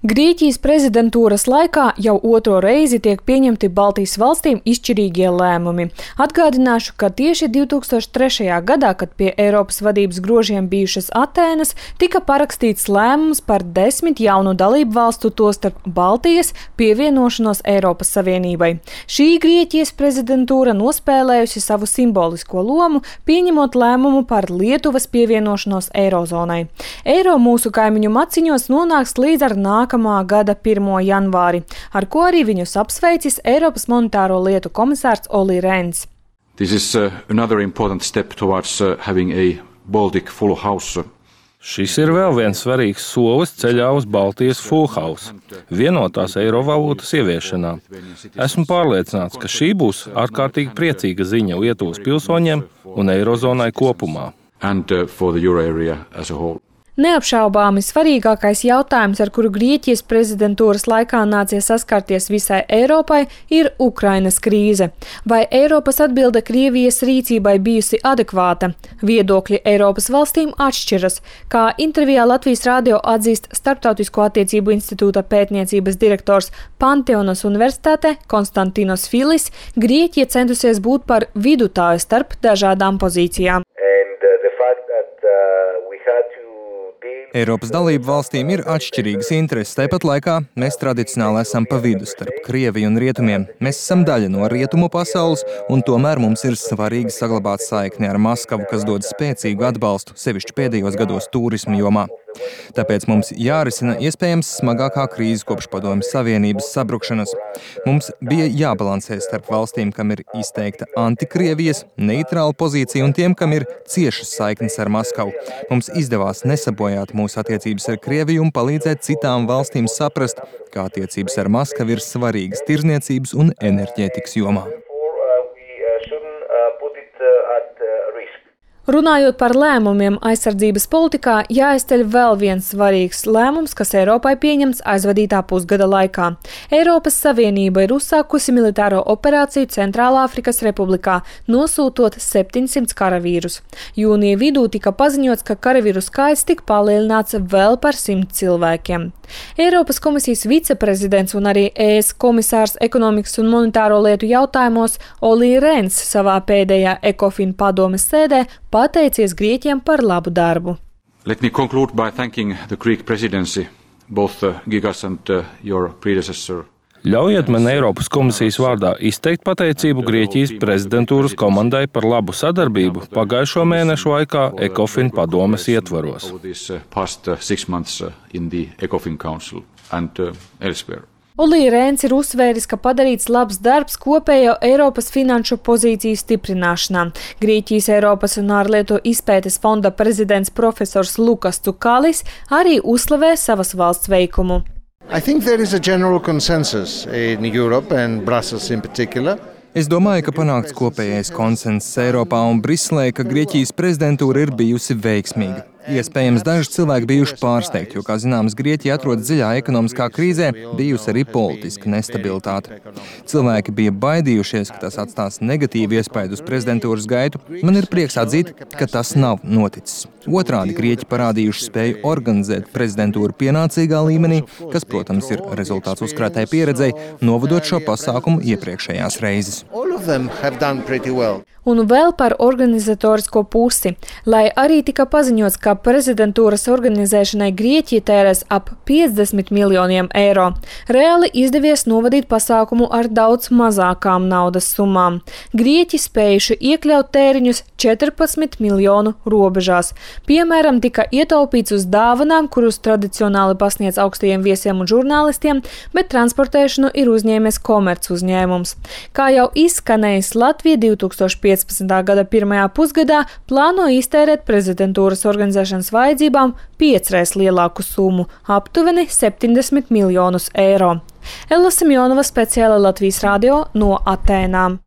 Grieķijas prezidentūras laikā jau otro reizi tiek pieņemti Baltijas valstīm izšķirīgie lēmumi. Atgādināšu, ka tieši 2003. gadā, kad pie Eiropas vadības grožiem bijušas Atēnas, tika parakstīts lēmums par 10 jaunu dalību valstu, tostarp Baltijas, pievienošanos Eiropas Savienībai. Šī Grieķijas prezidentūra nospēlējusi savu simbolisko lomu, pieņemot lēmumu par Lietuvas pievienošanos Eirozonai. Eiro mūsu kaimiņu maciņos nonāks līdz ar nākamā gada 1. janvāri, ar ko arī viņus apsveicis Eiropas monetāro lietu komisārs Olli Rehns. This is another important step towards having a Baltic full house. Šis ir vēl viens svarīgs solis ceļā uz Baltijas full house, vienotās eiro valūtas ieviešanā. Esmu pārliecināts, ka šī būs ārkārtīgi priecīga ziņa Lietuvas pilsoņiem un eirozonai kopumā. And for the euro area as a whole. Neapšaubāmi svarīgākais jautājums, ar kuru Grieķijas prezidentūras laikā nācies saskarties visai Eiropai, ir Ukrainas krīze. Vai Eiropas atbilde Krievijas rīcībai bijusi adekvāta? Viedokļi Eiropas valstīm atšķiras. Kā intervijā Latvijas radio atzīst Starptautisko attiecību institūta pētniecības direktors Panteonas universitātē Konstantinos Filis, Grieķija centusies būt par vidutāju starp dažādām pozīcijām. Eiropas dalību valstīm ir atšķirīgas intereses, tāpat laikā mēs tradicionāli esam pa vidu starp Krieviju un Rietumiem. Mēs esam daļa no Rietumu pasaules, un tomēr mums ir svarīgi saglabāt saikni ar Maskavu, kas dod spēcīgu atbalstu, sevišķi pēdējos gados turisma jomā. Tāpēc mums jārisina iespējams smagākā krīze kopš Padomju Savienības sabrukšanas. Mums bija jābalansē starp valstīm, kam ir izteikta antikrievijas, neitrāla pozīcija un tiem, kam ir ciešas saiknes ar Maskavu. Mums izdevās nesabojāt mūsu attiecības ar Krieviju un palīdzēt citām valstīm saprast, kā attiecības ar Maskavu ir svarīgas tirzniecības un enerģētikas jomā. Runājot par lēmumiem aizsardzības politikā, jāizceļ vēl viens svarīgs lēmums, kas Eiropai pieņemts aizvadītā pusgada laikā. Eiropas Savienība ir uzsākusi militāro operāciju Centrālāfrikas Republikā, nosūtot 700 karavīrus. Jūnija vidū tika paziņots, ka karavīru skaits tika palielināts vēl par 100 cilvēkiem. Eiropas komisijas viceprezidents un arī ES komisārs ekonomikas un monetāro lietu jautājumos Olli Rehns savā pēdējā ECOFIN padomes sēdē pateicies Grieķiem par labu darbu. Let me conclude by thanking the Greek presidency, both Gigas and your predecessor. Ļaujiet man Eiropas komisijas vārdā izteikt pateicību Grieķijas prezidentūras komandai par labu sadarbību pagājušo mēnešu laikā ECOFIN padomes ietvaros. Olli Rehns ir uzsvēris, ka padarīts labs darbs kopējo Eiropas finanšu pozīciju stiprināšanā. Grieķijas Eiropas un ārlietu izpētes fonda prezidents profesors Lukas Cukalis arī uzslavē savas valsts veikumu. I think there is a general consensus in Europe and Brussels in particular. Es domāju, ka panākts kopējais konsensus Eiropā un Briselē, ka Grieķijas prezidentūra ir bijusi veiksmīga. Iespējams, daži cilvēki bijuši pārsteigti, jo, kā zināms, Grieķija atrodas dziļā ekonomiskā krīzē, bijusi arī politiska nestabilitāte. Cilvēki bija baidījušies, ka tas atstās negatīvu iespaidu uz prezidentūras gaitu. Man ir prieks atzīt, ka tas nav noticis. Otrādi Grieķi parādījuši spēju organizēt prezidentūru pienācīgā līmenī, kas, protams, ir rezultāts uzkrātai pieredzei, novadot šo pasākumu iepriekšējās reizes. Un vēl par organizatorisko pusi. Lai arī tika paziņots, ka prezidentūras organizēšanai Grieķija tērēs ap 50 miljoniem eiro, reāli izdevies novadīt pasākumu ar daudz mazākām naudas summām. Grieķi spējuši iekļaut tēriņus 14 miljonu robežās. Piemēram, tika ietaupīts uz dāvanām, kurus tradicionāli pasniedz augstajiem viesiem un žurnālistiem, bet transportēšanu ir uzņēmies komerc uzņēmums. Kā jau izskanējis, Latvija 2015. gada pirmajā pusgadā plāno iztērēt prezidentūras organizēšanas vajadzībām 5x lielāku summu – aptuveni 70 miljonus eiro. Ella Simjonova, speciāli Latvijas radio no Atēnām.